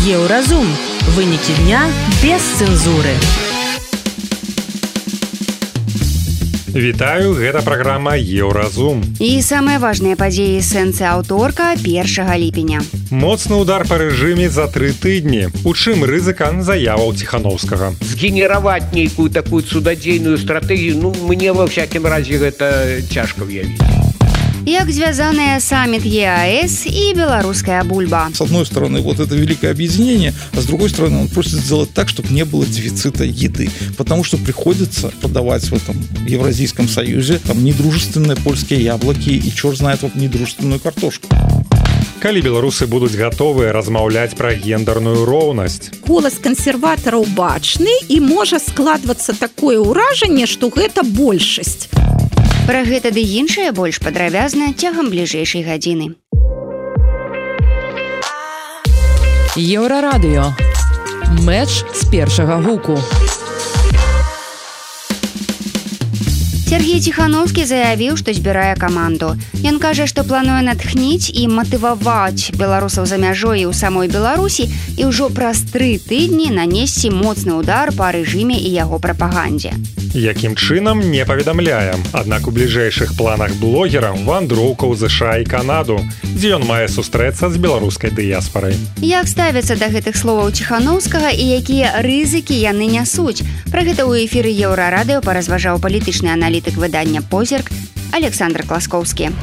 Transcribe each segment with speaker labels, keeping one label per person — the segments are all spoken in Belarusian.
Speaker 1: Еўразум. Вынікі дня без цэнзуры.
Speaker 2: Вітаю, гэта праграма Еўразум.
Speaker 3: І самыя важныя падзеі сэнсы аўторка 1 ліпеня.
Speaker 2: Моцны удар па рэжыме за 3 тыдні. У чым рызыка заяваў Ціхановскага?
Speaker 4: Згенераваць нейкую такую цудадзейную стратэгію, мне во всякім разе гэта цяжка ўявіць.
Speaker 3: Як звязаныя саммит ЕАЭС и белорусская бульба.
Speaker 5: С одной стороны, вот это великое объединение, а с другой стороны, он просит сделать так, чтобы не было дефицита еды. Потому что приходится подавать в этом Евразийском союзе там недружественные польские яблоки и черт знает вот недружественную картошку.
Speaker 2: Калі беларусы будуць гатовыя размаўляць пра гендерную роўнасць?
Speaker 6: Голас кансерватараў бачны і можа складвацца такое ўражанне, што гэта большасць.
Speaker 3: Пра гэта ды іншае больш падрабязна цягам бліжэйшай гадзіны.
Speaker 1: Еўрарадыё. Мэч з першага гуку.
Speaker 3: Сергей Ціхановскі заявіў, што збірае каманду. Ён кажа, што плануе натхніць і матываваць беларусаў за мяжой і ў самой Беларусі і ўжо праз 3 тыдні нанесці моцны удар па рэжыме і яго прапагандзе.
Speaker 2: Якім чынам, не паведамляем. Аднак у бліжэйшых планах блогера вандроўка ў ЗША і Канаду, дзе ён мае сустрэцца з беларускай дыяспарай.
Speaker 3: Як ставяцца да гэтых словаў Ціхановскага і якія рызыкі яны нясуць? Пра гэта ў эфіры Еўрарадыё паразважаў палітычны аналітык выдання «Позірк» Александр Класкоўскі.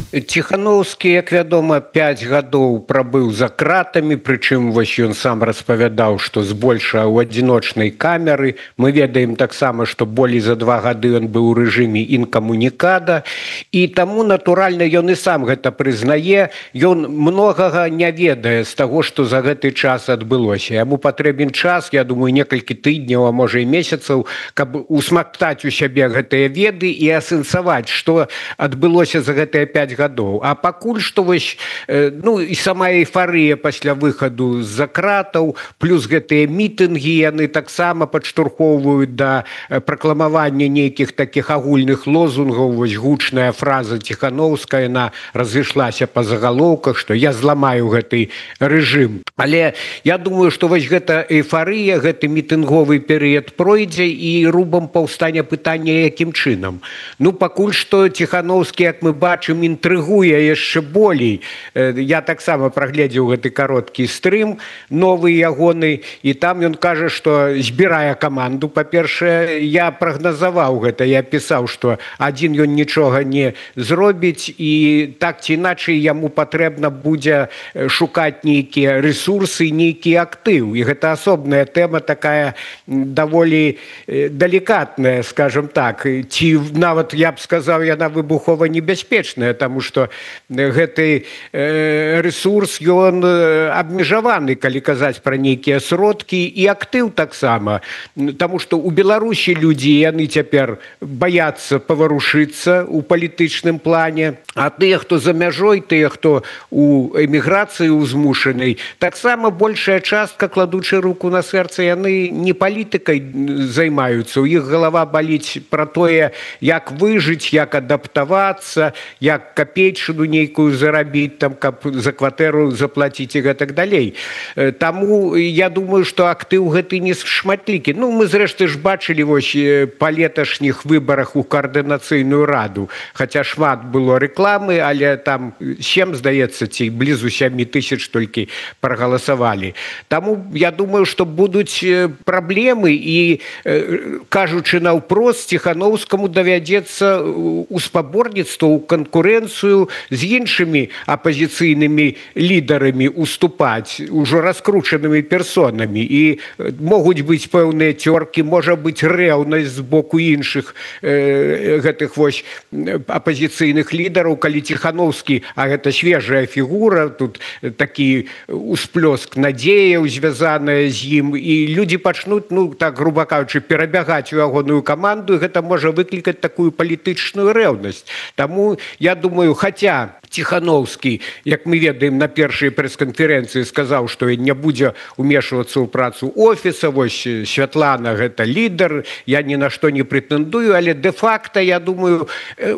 Speaker 4: Ціхановскі, як вядома, 5 гадоў прабыў за кратамі, прычым вось ён сам распавядаў, што збольшага ў адзіночнай камеры. Мы ведаем таксама, што болей за 2 гады ён быў у рэжыме інкамунікада, і таму, натуральна, ён і сам гэта прызнае. Ён многага не ведае з таго, што за гэты час адбылося. Яму патрэбен час, я думаю, некалькі тыдняў, а можа і месяцаў, каб усмактаць у сябе гэтыя веды і асэнсаваць, што адбылося за гэтыя 5 гадоў. А пакуль што вось, і сама эйфарыя пасля выхаду з-за кратаў, плюс гэтыя мітынгі, яны таксама падштурхоўваюць да пракламавання нейкіх такіх агульных лозунгаў. Вось гучная фраза Ціхановская, яна разышлася па загалоўках, што я зламаю гэты рэжым. Але я думаю, што вось гэта эйфарыя, гэты мітынговы перыяд пройдзе і рубам паўстане пытання, якім чынам. Пакуль што Ціхановскі, як мы бачым, інтрыгуе яшчэ болей. Я таксама прагледзеў гэты кароткі стрым, новы ягоны, і там ён кажа, што збірае каманду. Па-першае, я прагназаваў гэта, я пісаў, што адзін ён нічога не зробіць, і так ці іначай яму патрэбна будзе шукаць нейкія рэсурсы, нейкі актыў. І гэта асобная тэма такая даволі далікатная, скажем так. Ці нават, я б сказаў, яна выбухова небяспечная, таму што гэты рэсурс, ён абмежаваны, калі казаць пра нейкія сродкі, і актыў таксама. Таму што ў Беларусі людзі, яны цяпер баяцца паварушыцца ў палітычным плане, а тыя, хто за мяжой, тыя, хто у эміграцыі узмушанай, таксама большая частка, кладучы руку на сэрца, яны не палітыкай займаюцца. У іх галава баліць пра тое, як выжыць, як адаптавацца, як капейчыну нейкую зарабіць, там, каб за кватэру заплаціць і гэтак далей. Таму я думаю, што актыў гэты не шматлікі. Мы зрэшты ж бачылі вось па леташніх выбарах у каардынацыйную раду. Хаця шмат было рэкламы, але там 7, здаецца, ці блізу 7 тысяч толькі прагаласавалі. Таму я думаю, што будуць праблемы, і, кажучы наўпрост, Ціхановскаму давядзецца у спаборніцтва, у канкурэнцыю з іншымі апазіцыйнымі лідарамі уступаць, ужо раскручанымі персонамі. І могуць быць пэўныя цёркі, можа быць рэўнасць з боку іншых гэтых вось апазіцыйных лідараў, калі Ціхановскі, а гэта свежая фігура, тут такі усплёск надзеяў звязаная з ім, і людзі пачнуць, так груба кажучы, перабягаць у ягоную каманду, і гэта можа выклікаць такую палітычную рэўнасць. Таму, я думаю, хаця Ціхановскі, як мы ведаем, на першай прэс-канферэнцыі сказаў, што не будзе ўмешвацца ў працу офіса. Вось Святлана гэта лідар, я ні на што не прэтэндую, але дэ-факта, я думаю,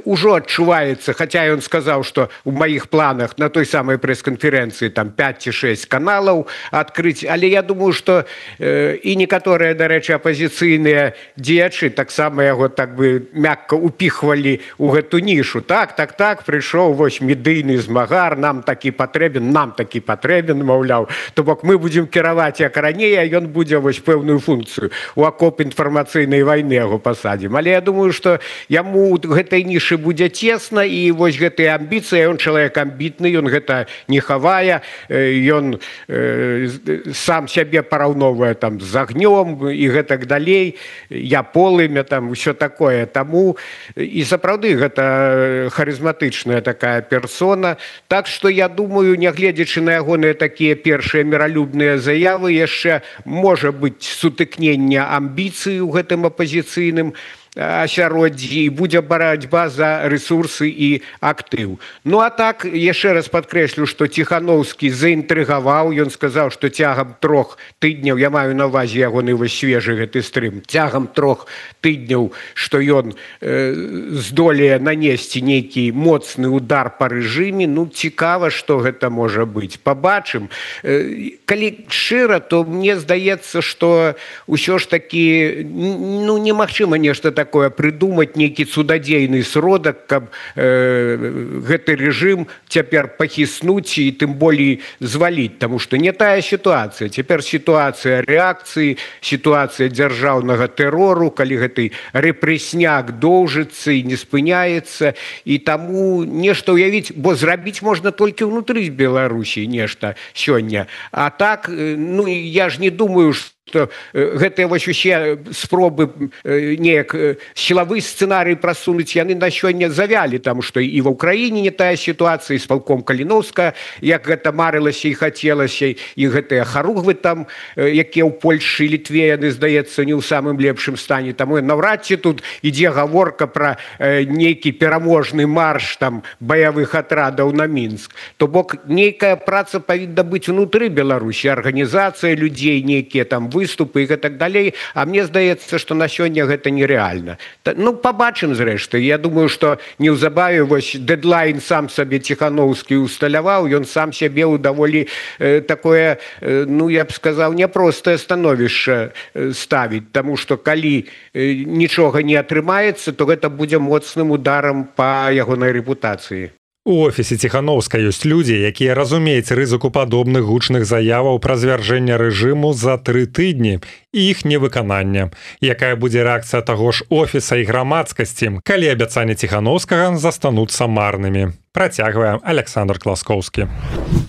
Speaker 4: ужо адчуваецца, хаця ён сказаў, што ў маіх планах на той самай прэс-канферэнцыі там 5 ці 6 каналаў адкрыць, але я думаю, што і некаторыя, дарэчы, апазіцыйныя дзеячы таксама яго так бы мякка упіхвалі ў гэту нішу. Так, прыйшоў вось медыйны змагар, нам такі патрэбен, маўляў. То бок мы будзем кіраваць як раней, а ён будзе вось пэўную функцыю. У акоп інфармацыйнай вайны яго пасадзім. Але я думаю, што яму гэтай нішы будзе цесна, і вось гэтыя амбіцыі, ён чалавек амбітны, ён гэта не хавае, ён сам сябе параўноўвае там з агнём і гэтак далей, я полымя, там усё такое. Таму і сапраўды гэта харызматычная такая персона. Так што я думаю, нягледзячы на ягоныя такія першыя міралюбныя заявы, яшчэ можа быць сутыкнення амбіцый у гэтым апазіцыйным асяроддзі, і будзе барацьба за рэсурсы і актыў. Ну а так, яшчэ раз падкрэслю, што Ціхановскі заінтрыгаваў, ён сказаў, што цягам 3 тыдняў, я маю на ўвазе ягоны вось свежы гэты стрым, цягам 3 тыдняў, што ён здолее нанесці нейкі моцны удар па рэжыме. Ну, цікава, што гэта можа быць. Пабачым. Калі шчыра, то мне здаецца, што ўсё ж такі, ну, немагчыма нешта такое придумать, нейкі цудадзейны сродак, каб гэты рэжым цяпер пахіснуць і тым болей зваліць, таму што не тая сітуацыя. Цяпер сітуацыя рэакцыі, сітуацыя дзяржаўнага тэрору, калі гэты рэпрэсняк доўжыцца і не спыняецца, і таму нешта ўявіць, бо зрабіць можна толькі ўнутры Беларусі нешта сёння. А так, ну, я ж не думаю, што гэтыя вось усе спробы неяк сілавы сцэнарый прасунуць, яны на сёння завялі, таму што і ва ўкраіне не тая сітуацыя, і з палком Каліноўска, як гэта марылася і хацелася, і гэтыя харугвы там, якія ў Польшчы і Літве, яны, здаецца, не ў самым лепшым стане. Таму наўрад ці тут ідзе гаворка пра нейкі пераможны марш там баявых атрадаў на Мінск. То бок нейкая праца павінна быць унутры Беларусі, арганізацыя людзей, нейкія там выступы і так далей, а мне здаецца, што на сёння гэта нерэальна. Ну, пабачым зрэшты. Я думаю, што неўзабаве вось дэдлайн сам сабе Ціхановскі усталяваў, ён сам сябе ў даволі такое, ну, я б сказаў, няпростае становішча ставіць, таму што калі нічога не атрымаецца, то гэта будзе моцным ударам па ягонай рэпутацыі.
Speaker 2: У офісе Ціхановска ёсць людзі, якія разумеюць рызыку падобных гучных заяваў пра звяржэнне рэжыму за 3 тыдні і іх невыканання. Якая будзе рэакцыя таго ж офіса і грамадскасці, калі абяцанні Ціхановскага застануцца марнымі? Працягвае Александр Класкоўскі.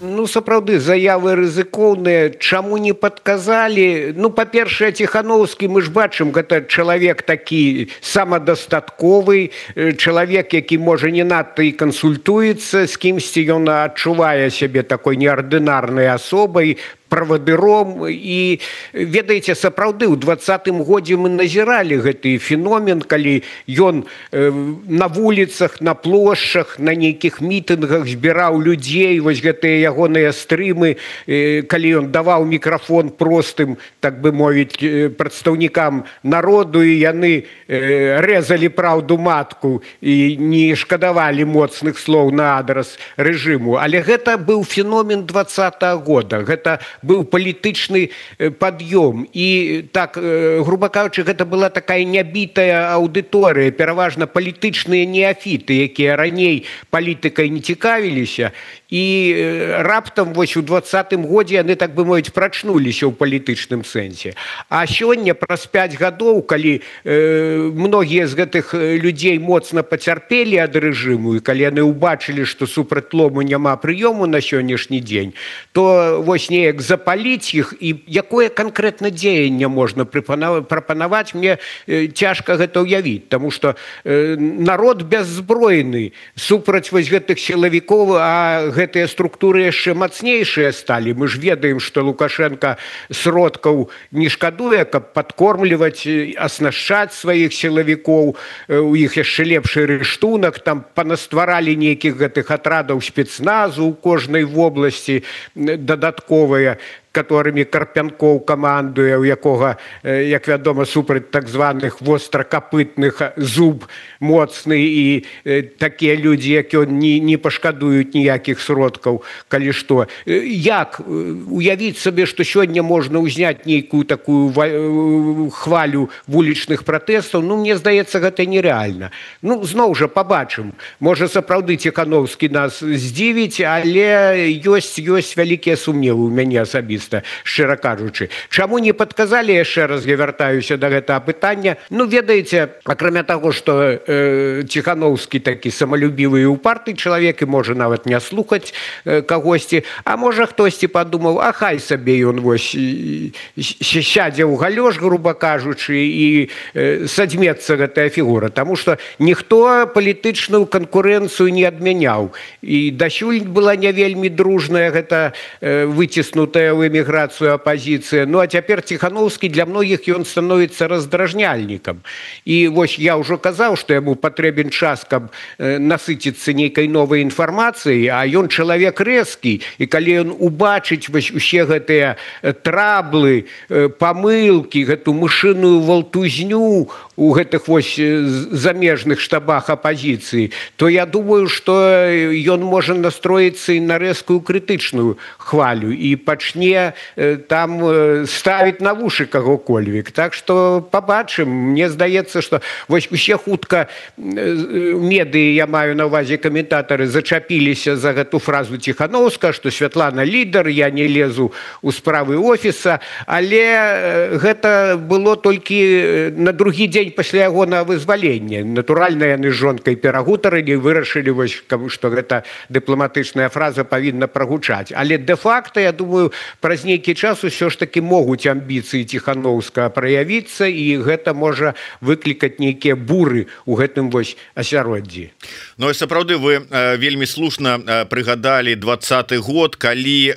Speaker 4: Ну, сапраўды, заявы рызыкоўныя. Чаму не падказалі? Ну, па-першае, Ціхановскі, мы ж бачым, гэта чалавек такі самадастатковы, чалавек, які, можа, не надта і кансультуецца з кімсьці, ён адчувае сябе такой неардынарнай асобай, правадыром. І, ведаеце, сапраўды, у 20-м годзе мы назіралі гэты феномен, калі ён на вуліцах, на плошчах, на нейкіх мітынгах збіраў людзей, вось гэтыя ягоныя стрымы, калі ён даваў мікрафон простым, так бы мовіць, прадстаўнікам народу, і яны рэзалі праўду матку і не шкадавалі моцных слоў на адрас рэжыму. Але гэта быў феномен 20-го года. Гэта быў палітычны пад'ём. І так, груба кажучы, гэта была такая нябітая аўдыторыя, пераважна палітычныя неафіты, якія раней палітыкай не цікавіліся, і раптам вось у 20-м годзе яны, так бы мовіць, прачнуліся ў палітычным сэнсе. А сёння, праз 5 гадоў, калі многія з гэтых людзей моцна пацярпелі ад рэжыму, і калі яны ўбачылі, што супраць-лому няма прыёму на сённяшні дзень, то вось неяк запаліць іх, і якое канкрэтна дзеянне можна прапанаваць, мне цяжка гэта ўявіць, таму што народ бяззбройны супраць вось гэтых сілавікоў, а гэтыя структуры яшчэ мацнейшыя сталі. Мы ж ведаем, што Лукашенко сродкаў не шкадуе, каб падкормліваць, аснашчаць сваіх сілавікоў, у іх яшчэ лепшы рыштунак, там панастваралі нейкіх гэтых атрадаў спецназу ў кожнай вобласці дадатковыя, которыми Карпянкоў камандуе, у якога, як вядома, супраць так званых востракапытных зуб моцны, і такія людзі, як ён, не пашкадуюць ніякіх сродкаў, калі што. Як уявіць сабе, што сёння можна ўзняць нейкую такую хвалю вулічных пратэстаў? Ну, мне здаецца, гэта нереальна. Ну, зноў жа пабачым. Можа, сапраўды Ціханаўскі нас здзівіць, але ёсць вялікія сумневы ў мяне асабіста, шчыра кажучы. Чаму не падказалі, яшчэ раз я вяртаюся да гэтага пытання? Ну, ведаеце, акрамя таго, што Ціханаўскі такі самалюбівы і упарты чалавек і можа нават не слухаць кагосьці, а можа хтосьці падумаў, а хай сабе ён вось сядзе ў галёш, груба кажучы, і садзьмецца гэтая фігура, таму што ніхто палітычную канкурэнцыю не адмяняў. І дасюль была не вельмі дружная гэта выціснутая ў эміграцыю апазіцыя. Ну, а цяпер Ціханаўскі для многіх ён становіцца раздражняльнікам. І вось я ўжо казаў, што яму патрэбен час, каб насыціцца нейкай новай інфармацыяй, а ён чалавек рэзкі, і калі ён убачыць вось усе гэтыя траблы, памылкі, гэту мышыную валтузню у гэтых вось замежных штабах апазіцыі, то я думаю, што ён можа настроіцца і на рэзкую крытычную хвалю і пачне там ставіць на вушы каго-кольвік. Так што пабачым. Мне здаецца, што вось усе хутка медыі, я маю на ўвазе каментатары, зачапіліся за гэту фразу Ціханаўска, што Святлана лідар, я не лезу ў справы офіса, але гэта было толькі на другі дзень пасля ягонага вызвалення. Натуральна, яны з жонкай перагутарылі, вырашылі, вось, што гэта дыпламатычная фраза павінна прагучаць. Але дэ-факта, я думаю, праз нейкі час усё ж такі могуць амбіцыі Ціханаўскага праявіцца, і гэта можа выклікаць нейкія буры ў гэтым вось асяроддзі.
Speaker 7: Ну, і сапраўды, вы вельмі слушна прыгадалі 20-й год, калі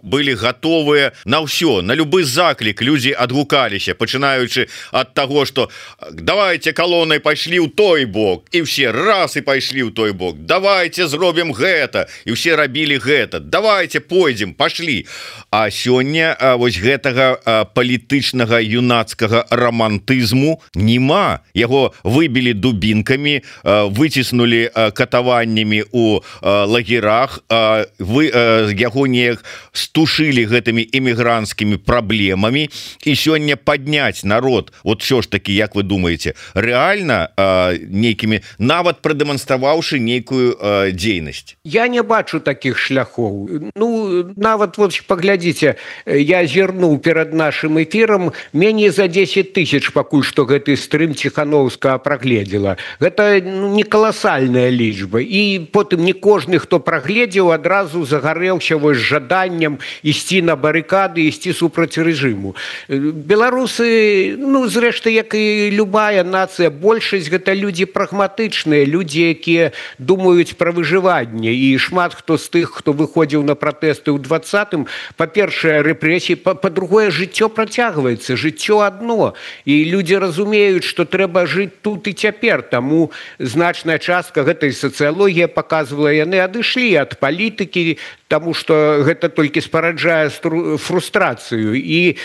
Speaker 7: былі гатовыя на ўсё, на любы заклік. Людзі адгукаліся, пачынаючы ад таго, што давайте калонай пайшлі ў той бок, і ўсе раз і пайшлі ў той бок, давайте зробім гэта, і ўсе рабілі гэта, давайте пойдзем, пашлі. А сёння вось гэтага палітычнага юнацкага рамантызму няма. Яго выбілі дубінкамі, выціснулі катаваннямі у лагерах, яго неяк стушылі гэтымі эмігранцкімі праблемамі, і сёння падняць народ, вот що ж таки, як вы думаеце, рэальна нейкімі, нават прадэманстраваўшы нейкую дзейнасць?
Speaker 4: Я не бачу такіх шляхоў. Ну, нават вот паглядзіце, я зірнуў перад нашым эфірам, меней за 10 000 пакуль што гэты стрым Ціханаўскага прагледзела. Гэта не каласальная лічба. І потым не кожны, хто прагледзеў, адразу загарэўся вось жаданнем ісці на барыкады, ісці супраць рэжыму. Беларусы, ну, зрэшты, як і любая нацыя, большасць гэта людзі прагматычныя, людзі, якія думаюць пра выжыванне. І шмат хто з тых, хто выходзіў на пратэсты ў 20-м, па-першае, рэпрэсіі, па-другое, жыццё працягваецца, жыццё адно. І людзі разумеюць, што трэба жыць тут і цяпер. Таму значная частка гэтай сацыялогія паказвала, яны адышлі ад палітыкі, таму што гэта толькі спараджае фрустрацыю, і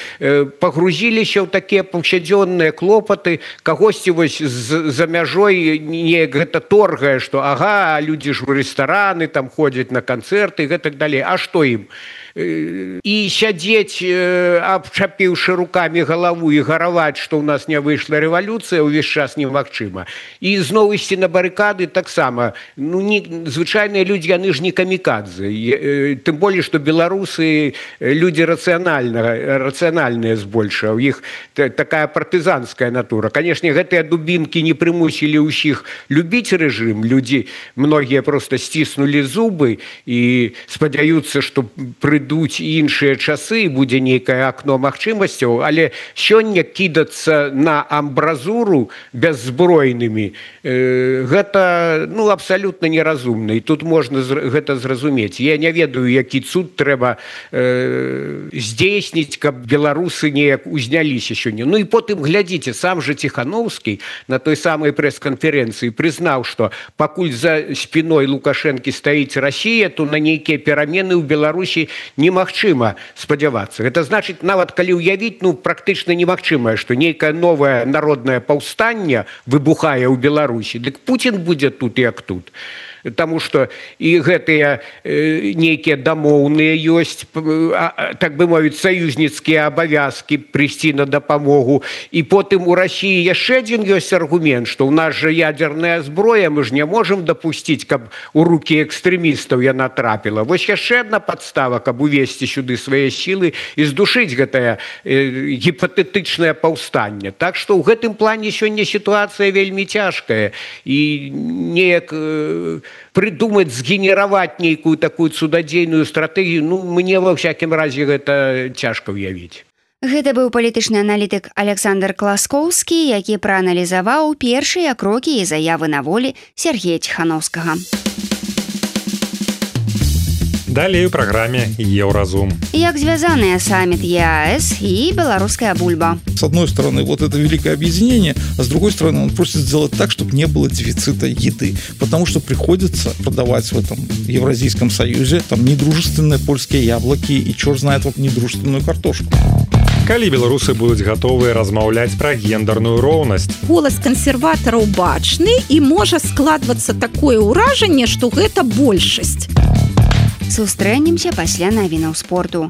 Speaker 4: пагрузіліся ў такія паўсядзённыя клопаты, кагосьці вось за мяжой неяк гэта торгае, што ага, людзі ж у рэстараны там ходзяць на канцэрты і гэтак далей. А што ім? І сядзець, абчапіўшы рукамі галаву, і гараваць, што ў нас не выйшла рэвалюцыя, увесь час немагчыма. І зноў ісці на барыкады таксама. Ну, звычайныя людзі, яны ж не камікадзе. Тым болей, што беларусы людзі рацыянальныя збольшага. У іх такая партызанская натура. Канешне, гэтыя дубінкі не прымусілі ўсіх любіць рэжым. Людзі, многія проста сціснулі зубы і спадзяюцца, што прыйдуць іншыя іншыя часы, будзе нейкае акно магчымасцяў, але сёння кідацца на амбразуру бяззбройнымі гэта абсалютна неразумна, і тут можна гэта зразумець. Я не ведаю, які цуд трэба здзейсніць, каб беларусы неяк узняліся сёння. І потым глядзіце, сам жа Ціхановскі на той самай прэс-канферэнцыі прызнаў, што пакуль за спіной Лукашэнкі стаіць Расія, то на нейкія перамены ў Беларусі немагчыма спадзявацца. Гэта значыць, нават калі ўявіць, практычна немагчымае, што нейкае новае народнае паўстанне выбухае ў Беларусі, дык Пуцін будзе тут як тут. Таму што і гэтыя нейкія дамоўныя ёсць, так бы мовіць, саюзніцкія абавязкі прыйсці на дапамогу. І потым у Расіі яшчэ адзін ёсць аргумент, што ў нас жа ядзерная зброя, мы ж не можам дапусціць, каб у рукі экстрэмістаў яна трапіла. Вось яшчэ адна падстава, каб увесці сюды свае сілы і здушыць гэтае гіпатэтычнае паўстанне. Так што ў гэтым плане сёння сітуацыя вельмі цяжкая. І неяк прыдумаць, згенераваць нейкую такую цудадзейную стратэгію, мне ва ўсякім разе гэта цяжка ўявіць.
Speaker 3: Гэта быў палітычны аналітык Александр Класкоўскі, які прааналізаваў першыя крокі і заявы на волі Сергея Ціхановскага.
Speaker 2: Далей у праграме Еўразум.
Speaker 3: Як звязаныя саммит ЕАЭС и белорусская бульба.
Speaker 5: С одной стороны, вот это великое объединение, а с другой стороны, он просит сделать так, чтобы не было дефицита еды. Потому что приходится продавать в этом Евразийском союзе там недружественные польские яблоки и черт знает вот недружественную картошку.
Speaker 2: Калі беларусы будуць гатовыя размаўляць пра гендерную роўнасць?
Speaker 6: Голас кансерватараў бачны і можа складвацца такое ўражанне, што гэта большасць.
Speaker 3: Сустрэнемся пасля навінаў спорту.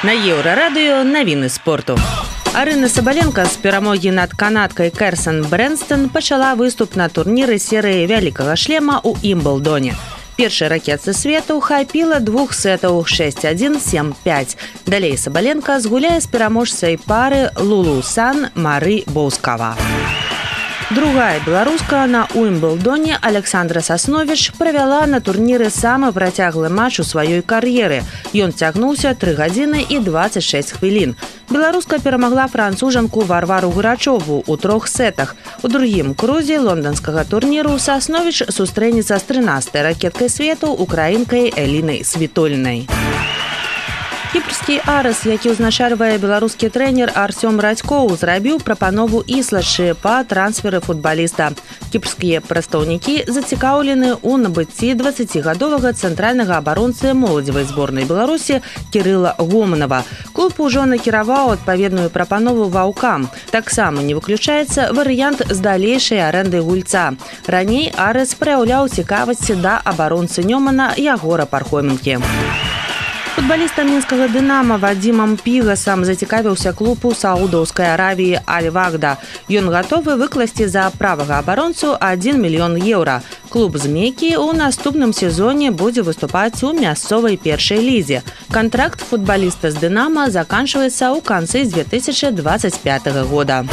Speaker 1: На Еўрарадыё навіны спорту. Арына Сабаленка з перамогі над канадкай Керсэн Брэнстон пачала выступ на турніры серыі вялікага шлема ў Імблдоне. Першай ракетцы свету хапіла 2 сетаў 6-1, 7-5. Далей Сабаленка згуляе з пераможцай пары Лулу Сан Мары Боускава. Другая беларуска на Уімблдоне Александра Сасновіч правяла на турніры самы працяглы матч у сваёй кар'еры. Ён цягнуўся 3 гадзіны і 26 хвілін. Беларуска перамагла францужанку Варвару Грачову ў 3 сетах. У другім крузе лонданскага турніру Сасновіч сустрэнецца з 13-й ракеткай свету украінкай Элінай Світольнай. Кіпрскі Арас, які ўзначальвае беларускі трэнер Арсём Радзькоў, зрабіў прапанову Іслачы па трансферы футбаліста. Кіпрскія прадстаўнікі зацікаўлены ў набыцці 20гадовага цэнтральнага абаронцы моладзевай зборнай Беларусі Кірыла Гоманава. Клуб ужо накіраваў адпаведную прапанову ваўкам. Таксама не выключаецца варыянт з далейшай арэндай гульца. Раней Арас праяўляў цікавасці да абаронцы Нёмана Ягора Пархоменкі. Футбалістам мінскага «Дынама» Вадзімам Пігасам зацікавіўся клуб у Саудаўскай Аравіі Аль-Вагда. Ён гатовы выкласці за правага абаронцу 1 мільён еўра. Клуб з Меккі ў наступным сезоне будзе выступаць у мясцовай першай лізе. Кантракт футбаліста з «Дынама» заканчваецца ў канцы 2025 года.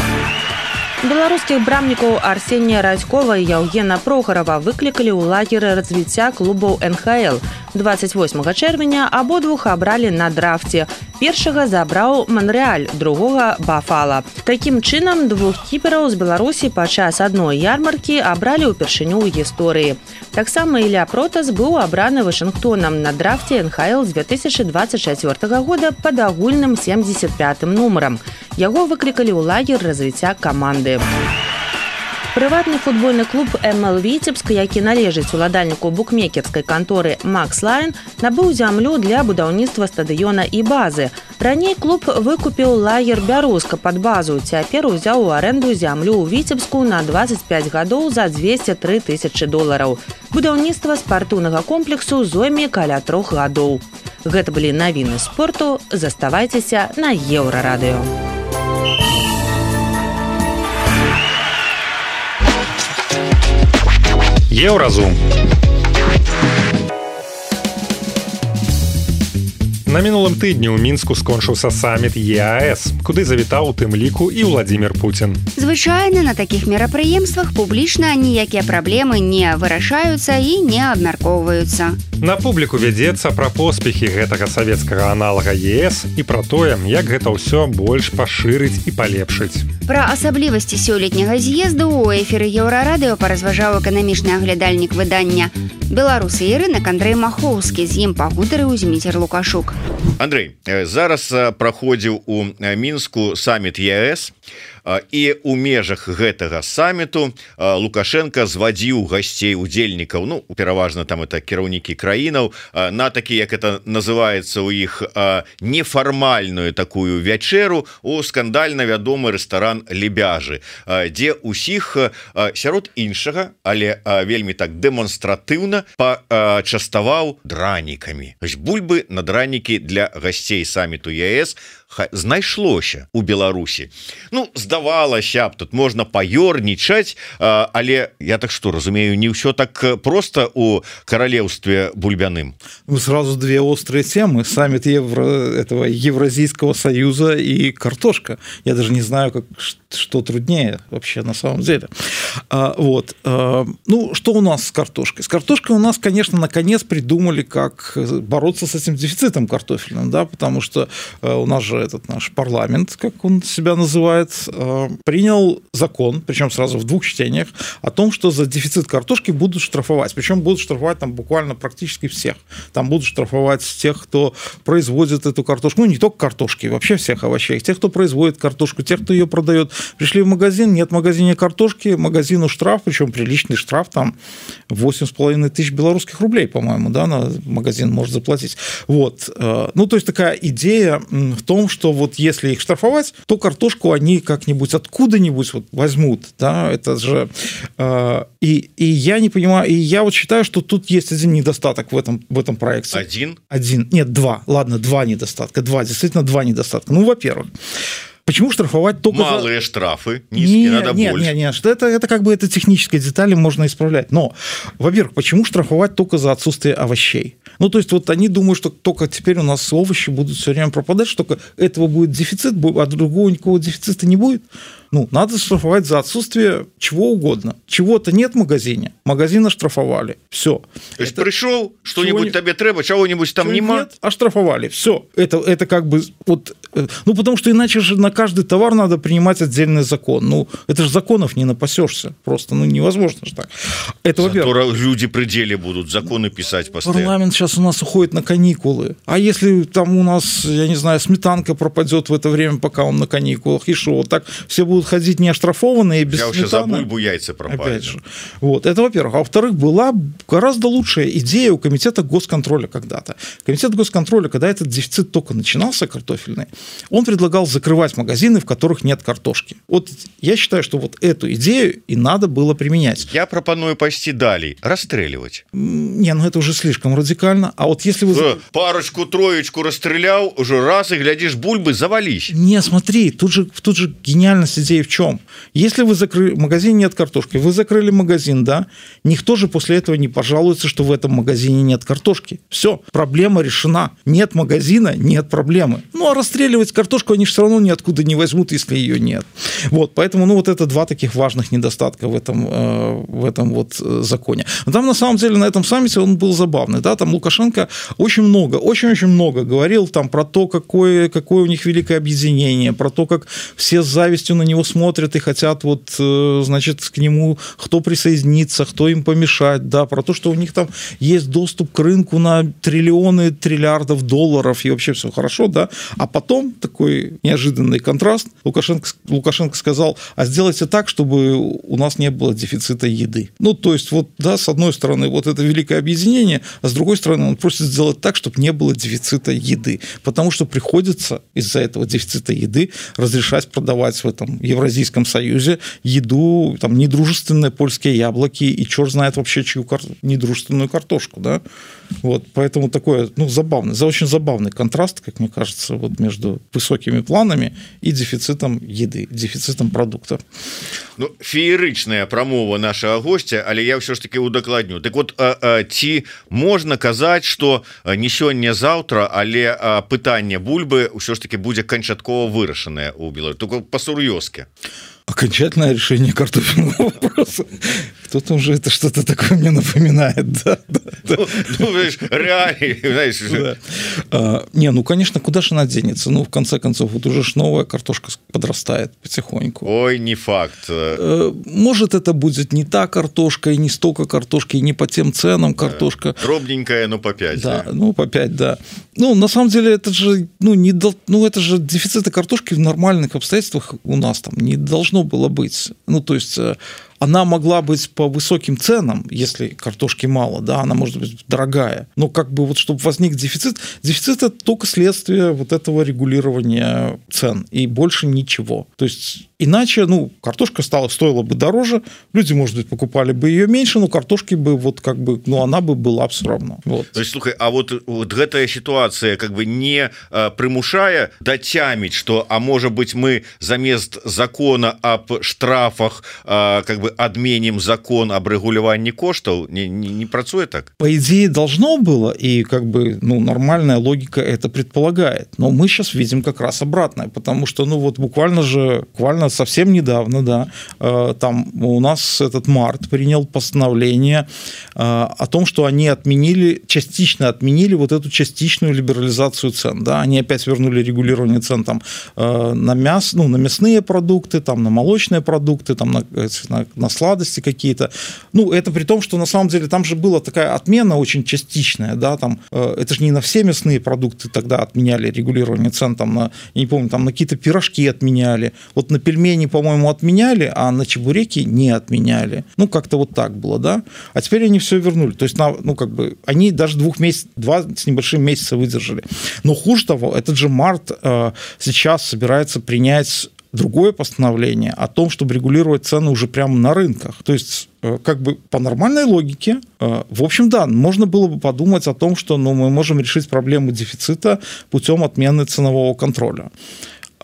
Speaker 1: Беларускіх брамнікаў Арсенія Радзькова і Яўгена Прохарова выклікалі ў лагеры развіцця клубаў НХЛ. 28 чэрвеня абодвух абралі на драфце. Першага забраў Манрэаль, другога Бафала. Такім чынам, двух кіпераў з Беларусі падчас адной ярмаркі абралі ўпершыню ў гісторыі. Таксама Ілля Протас быў абраны Вашынгтонам на драфце НХЛ з 2024 года пад агульным 75-м нумарам. Яго выклікалі ў лагер развіцця каманды. Прыватны футбольны клуб МЛ Віцебск, які належыць уладальніку букмекерскай канторы Макс Лайн, набыў зямлю для будаўніцтва стадыёна і базы. Раней клуб выкупіў лагер Бярозка пад базу, цяпер узяў у арэнду зямлю ў Віцебску на 25 гадоў за $203 тысячы. Будаўніцтва спартыўнага комплексу зойме каля 3 гадоў. Гэта былі навіны спорту. Заставайцеся на Еўрарадыё.
Speaker 2: Еўразум. На мінулым тыдні ў мінску скончыўся саміт ЕАС, куды завітаў у тым ліку і Владзімір Пуцін.
Speaker 3: Звычайна на такіх мерапрыемствах публічна ніякія праблемы не вырашаюцца і не абмяркоўваюцца.
Speaker 2: На публіку вядзецца пра поспехі гэтага савецкага аналага ЕС і пра тое, як гэта ўсё больш пашырыць і палепшыць.
Speaker 3: Пра асаблівасці сёлетняга з'езду ў эфіры Еўрарадыё паразважаў эканамічны аглядальнік выдання «Беларусы» і рынак Андрэй Махоўскі. З ім пагутарыў Зміцер Лукашук.
Speaker 7: Андрэй, зараз праходзіў у Мінску саміт ЕС, і у межах гэтага саміту Лукашенко звадзіў гасцей удзельнікаў, ну пераважна там это кіраўнікі краінаў, на такі, як это называецца у іх, нефармальную такую вячэру у скандальна вядомы рэстаран Лебяжы, дзе усіх сярод іншага, але вельмі так дэманстратыўна пачаставаў дранікамі. Бульбы на дранікі для гасцей саміту ЕС знайшлося у Беларусі. Ну, здавалася б, тут можна паёрнічаць, але я так што разумею, не ўсё так просто у каралеўстве бульбяным.
Speaker 5: Сразу две острые темы. Саммит этого Евразийского союза и картошка. Я даже не знаю, что труднее вообще на самом деле. Ну, что у нас с картошкой? С картошкой у нас, конечно, наконец придумали, как бороться с этим дефицитом картофельным, да, потому что у нас же этот наш парламент, как он себя называет, принял закон, причем сразу в 2 чтениях, о том, что за дефицит картошки будут штрафовать. Причем будут штрафовать там буквально практически всех. Там будут штрафовать тех, кто производит эту картошку. Ну, не только картошки, вообще всех овощей. Тех, кто производит картошку, тех, кто ее продает. Пришли в магазин, нет в магазине картошки, магазину штраф, причем приличный штраф, там 8,5 тысяч белорусских рублей, по-моему, да, на магазин может заплатить. Вот. Ну, то есть такая идея в том, что вот если их штрафовать, то картошку они как-нибудь откуда-нибудь вот возьмут, да, это же... И я не понимаю, и я вот считаю, что тут есть один недостаток в этом проекте. Один? Нет, 2. Ладно, 2 недостатка. Действительно 2 недостатка. Ну, во-первых, почему штрафовать только
Speaker 7: малые штрафы, низкие, надо больше?
Speaker 5: Нет, это как бы это технические детали, можно исправлять. Но, во-первых, почему штрафовать только за отсутствие овощей? Ну, то есть вот они думают, что только теперь у нас овощи будут все время пропадать, что только этого будет дефицит, а другого никакого дефицита не будет. Ну, надо штрафовать за отсутствие чего угодно. Чего-то нет в магазине, магазин оштрафовали. Все.
Speaker 7: То есть пришел, что-нибудь тебе треба, чего-нибудь там нема?
Speaker 5: Нет, оштрафовали. Все. Это как бы вот... Ну, потому что иначе же на каждый товар надо принимать отдельный закон. Ну, это же законов не напасешься. Просто, ну, невозможно же так. Это,
Speaker 7: во-первых, люди при деле будут законы писать постоянно.
Speaker 5: Парламент сейчас у нас уходит на каникулы. А если там у нас, я не знаю, сметанка пропадет в это время, пока он на каникулах, и что? Вот так все будут ходить неоштрафованные, без сметаны.
Speaker 7: Я уже за бульбу яйца пропали.
Speaker 5: Опять же. Вот, это во-первых. А во-вторых, была гораздо лучшая идея у Комитета госконтроля когда-то. Комитет госконтроля, когда этот дефицит только начинался картофельный, он предлагал закрывать магазины, в которых нет картошки. Вот я считаю, что вот эту идею и надо было применять.
Speaker 7: Я пропоную пойти далее. Расстреливать.
Speaker 5: Не, ну это уже слишком радикально. А вот если вы...
Speaker 7: Парочку, троечку расстрелял, уже раз и глядишь, бульбы завались.
Speaker 5: Не, смотри, тут же гениальность идеи в чем? Если вы закрыли... В магазине нет картошки, вы закрыли магазин, да? Никто же после этого не пожалуется, что в этом магазине нет картошки. Все, проблема решена. Нет магазина, нет проблемы. Ну, а расстреливать картошку они же все равно ниоткуда не возьмут, если ее нет. Вот, поэтому, ну, вот это 2 таких важных недостатка в этом вот законе. Но там, на самом деле, на этом саммите он был забавный, да? Там Лукашенко очень много говорил там про то, какое у них великое объединение, про то, как все с завистью на него смотрят и хотят вот, значит, к нему кто присоединиться, кто им помешать, да, про то, что у них там есть доступ к рынку на триллионы, триллиардов долларов, и вообще все хорошо, да, а потом такой неожиданный контраст, Лукашенко сказал, а сделайте так, чтобы у нас не было дефицита еды. Ну, то есть, вот, да, с одной стороны, вот это великое объединение, а с другой стороны, он просит сделать так, чтобы не было дефицита еды, потому что приходится из-за этого дефицита еды разрешать продавать в этом Евразийском Союзе еду, там, недружественные польские яблоки и черт знает вообще чью недружественную картошку, да? Вот, поэтому такой, ну, очень забавный контраст, как мне кажется, вот между высокими планами и дефицитом еды, дефицитом продуктов.
Speaker 7: Ну, феерычная прамова нашего гостя, але я все ж таки удакладню. Так вот, ці можна казаць, что не сёння-заўтра, але пытанне бульбы ўсё ж таки будзе канчаткова вырашанае ў Беларусі, только па-сур'ёзкі.
Speaker 5: Окончательное решение картофельного вопроса. Кто-то уже это что-то такое мне напоминает. Да.
Speaker 7: Ну, реально, знаешь.
Speaker 5: Да. Не, ну, конечно, куда же она денется? Ну, в конце концов, вот уже ж новая картошка подрастает потихоньку.
Speaker 7: Ой, не факт.
Speaker 5: Может, это будет не та картошка, и не столько картошки, и не по тем ценам картошка.
Speaker 7: Дробненькая, но по 5.
Speaker 5: Да, ну, по 5, да. Ну, на самом деле, это же, это же дефициты картошки в нормальных обстоятельствах у нас там не должно было быть. Ну, то есть она могла быть по высоким ценам, если картошки мало, да, она может быть дорогая. Но как бы вот чтобы возник дефицит это только следствие вот этого регулирования цен и больше ничего. То есть иначе, ну, картошка стоила бы дороже, люди, может быть, покупали бы ее меньше, но картошки бы вот как бы, ну, она бы была все равно. Вот.
Speaker 7: То есть, слухай, а вот гэтая ситуация как бы не примушая дацяміць, что, а может быть, мы замест закона об штрафах как бы отменим закон об регулировании коштов, не працуе так?
Speaker 5: По идее должно было, и как бы, ну, нормальная логика это предполагает, но мы сейчас видим как раз обратное, потому что, ну, вот буквально совсем недавно, да, там у нас этот МАРТ принял постановление о том, что они частично отменили вот эту частичную либерализацию цен, да, они опять вернули регулирование цен там на мясные продукты, там на молочные продукты, там на сладости какие-то. Ну, это при том, что на самом деле там же была такая отмена очень частичная, да, там, это же не на все мясные продукты тогда отменяли регулирование цен, там, я не помню, там на какие-то пирожки отменяли, вот на пельмени, по-моему, отменяли, а на чебуреки не отменяли. Ну, как-то вот так было, да. А теперь они все вернули. То есть, ну, как бы, они даже 2 с небольшим месяца выдержали. Но хуже того, этот же МАРТ сейчас собирается принять другое постановление о том, чтобы регулировать цены уже прямо на рынках. То есть, как бы по нормальной логике, в общем, да, можно было бы подумать о том, что, ну, мы можем решить проблему дефицита путем отмены ценового контроля.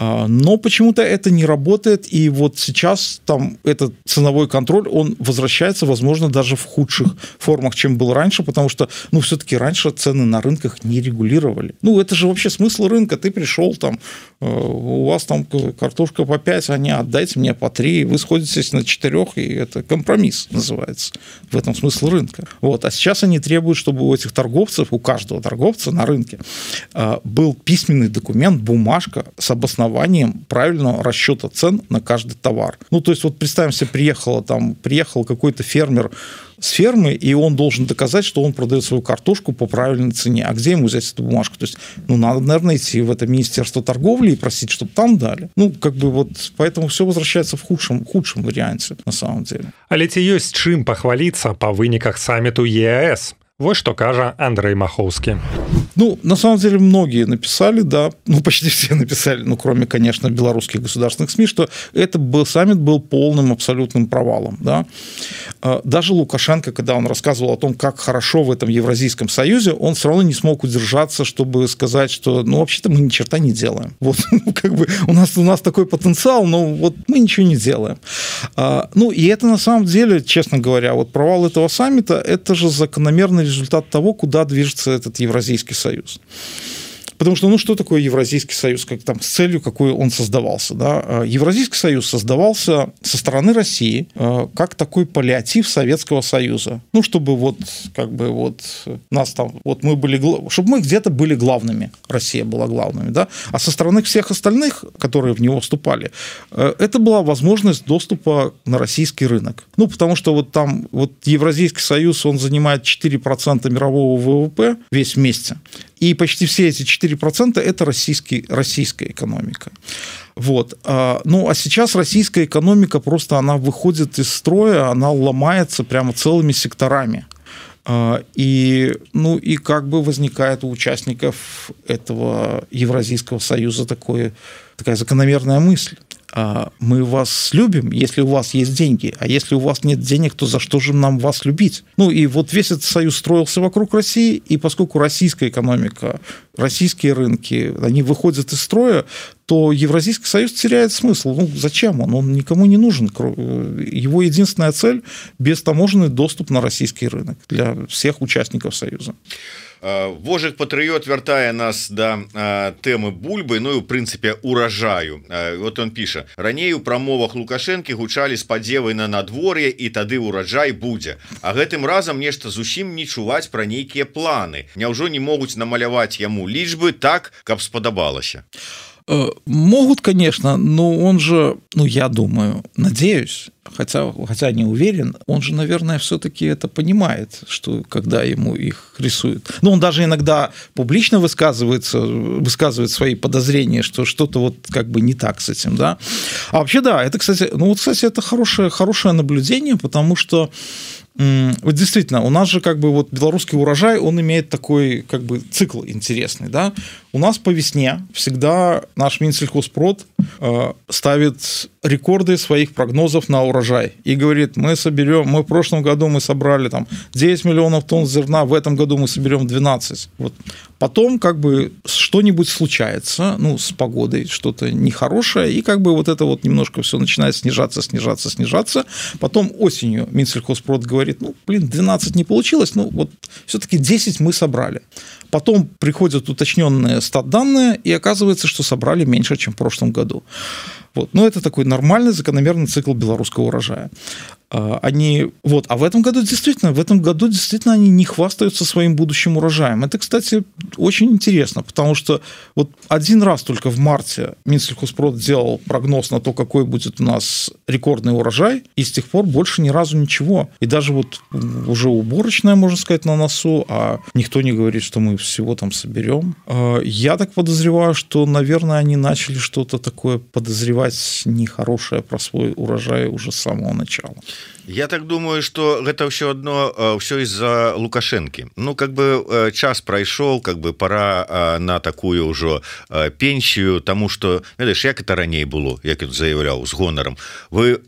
Speaker 5: Но почему-то это не работает, и вот сейчас там этот ценовой контроль, он возвращается, возможно, даже в худших формах, чем был раньше, потому что, ну, все-таки раньше цены на рынках не регулировали. Ну, это же вообще смысл рынка. Ты пришел, там, у вас там картошка по 5, а не отдайте мне по 3, вы сходитесь на 4, и это компромисс называется. В этом смысл рынка. Вот. А сейчас они требуют, чтобы у этих торговцев, у каждого торговца на рынке был письменный документ, бумажка с обоснованием правильного расчета цен на каждый товар. Ну, то есть, вот представим себе, приехал какой-то фермер с фермы, и он должен доказать, что он продает свою картошку по правильной цене. А где ему взять эту бумажку? То есть, ну, надо, наверное, идти в это Министерство торговли и просить, чтобы там дали. Ну, как бы вот, поэтому все возвращается в худшем варианте, на самом деле.
Speaker 2: Але ці ёсць чым пахваліцца па выніках саммиту ЕАЭС? Вот что кажа Андрей Маховский.
Speaker 5: Ну, на самом деле, многие написали, да, ну, почти все написали, ну, кроме, конечно, белорусских государственных СМИ, что саммит был полным, абсолютным провалом, да. Даже Лукашенко, когда он рассказывал о том, как хорошо в этом Евразийском союзе, он все равно не смог удержаться, чтобы сказать, что, ну, вообще-то мы ни черта не делаем. Вот, как бы, у нас такой потенциал, но вот мы ничего не делаем. Ну, и это, на самом деле, честно говоря, вот провал этого саммита, это же закономерный результат того, куда движется этот Евразийский союз. Потому что, ну, что такое Евразийский союз, как там, с целью, какой он создавался, да? Евразийский союз создавался со стороны России как такой паллиатив Советского Союза. Ну, чтобы вот, как бы, вот нас там, вот мы были, чтобы мы где-то были главными, Россия была главными, да? А со стороны всех остальных, которые в него вступали, это была возможность доступа на российский рынок. Ну, потому что вот там, вот Евразийский союз, он занимает 4% мирового ВВП весь вместе. И почти все эти 4% – это российская экономика. Вот. Ну, а сейчас российская экономика просто, она выходит из строя, она ломается прямо целыми секторами. И, ну, и как бы возникает у участников этого Евразийского союза такая закономерная мысль. мы вас любим, если у вас есть деньги, а если у вас нет денег, то за что же нам вас любить? Ну и вот весь этот союз строился вокруг России, и поскольку российская экономика, российские рынки, они выходят из строя, то Евразийский союз теряет смысл. Ну, зачем он? Он никому не нужен. Его единственная цель – бестаможенный доступ на российский рынок для всех участников союза.
Speaker 7: Вожык патрыёт вяртае нас да тэмы бульбы, ну і ў прынцыпе уражаю. Вот он піша: раней у прамовах Лукашэнкі гучалі спадзевы на надвор'е і тады ураджай будзе. А гэтым разам нешта зусім не чуваць пра нейкія планы. Няўжо не могуць намаляваць яму лічбы так, каб спадабалася?
Speaker 5: Могут, конечно, но он же, ну, я думаю, надеюсь, хотя не уверен, он же, наверное, все-таки это понимает, что когда ему их рисуют. Но он даже иногда публично высказывает свои подозрения, что что-то вот как бы не так с этим, да. А вообще, да, это, кстати, это хорошее наблюдение, потому что вот действительно, у нас же как бы вот белорусский урожай, он имеет такой как бы цикл интересный, да. У нас по весне всегда наш Минсельхозпрод ставит рекорды своих прогнозов на урожай и говорит: мы в прошлом году мы собрали там 9 миллионов тонн зерна, в этом году мы соберем 12. Вот. Потом как бы что-нибудь случается, ну, с погодой что-то нехорошее, и как бы вот это вот немножко все начинает снижаться. Потом осенью Минсельхозпрод говорит: 12 не получилось, вот все-таки 10 мы собрали. Потом приходят уточненные статданные, и оказывается, что собрали меньше, чем в прошлом году. Вот. Но это такой нормальный, закономерный цикл белорусского урожая. А в этом году действительно они не хвастаются своим будущим урожаем. Это, кстати, очень интересно, потому что вот один раз только в марте Минсельхозпрод делал прогноз на то, какой будет у нас рекордный урожай, и с тех пор больше ни разу ничего. И даже вот уже уборочная, можно сказать, на носу, а никто не говорит, что мы всего там соберем. Я так подозреваю, что, наверное, они начали что-то такое подозревать нехорошее про свой урожай уже с самого начала.
Speaker 7: Я так думаю, что гэта ўсё одно ўсё из-за Лукашэнкі. Ну, как бы час прайшоў, как бы пора на такую ўжо пенсію, тому что, ведаеш, як это раней было, як ён заявляў з гонарам. Вы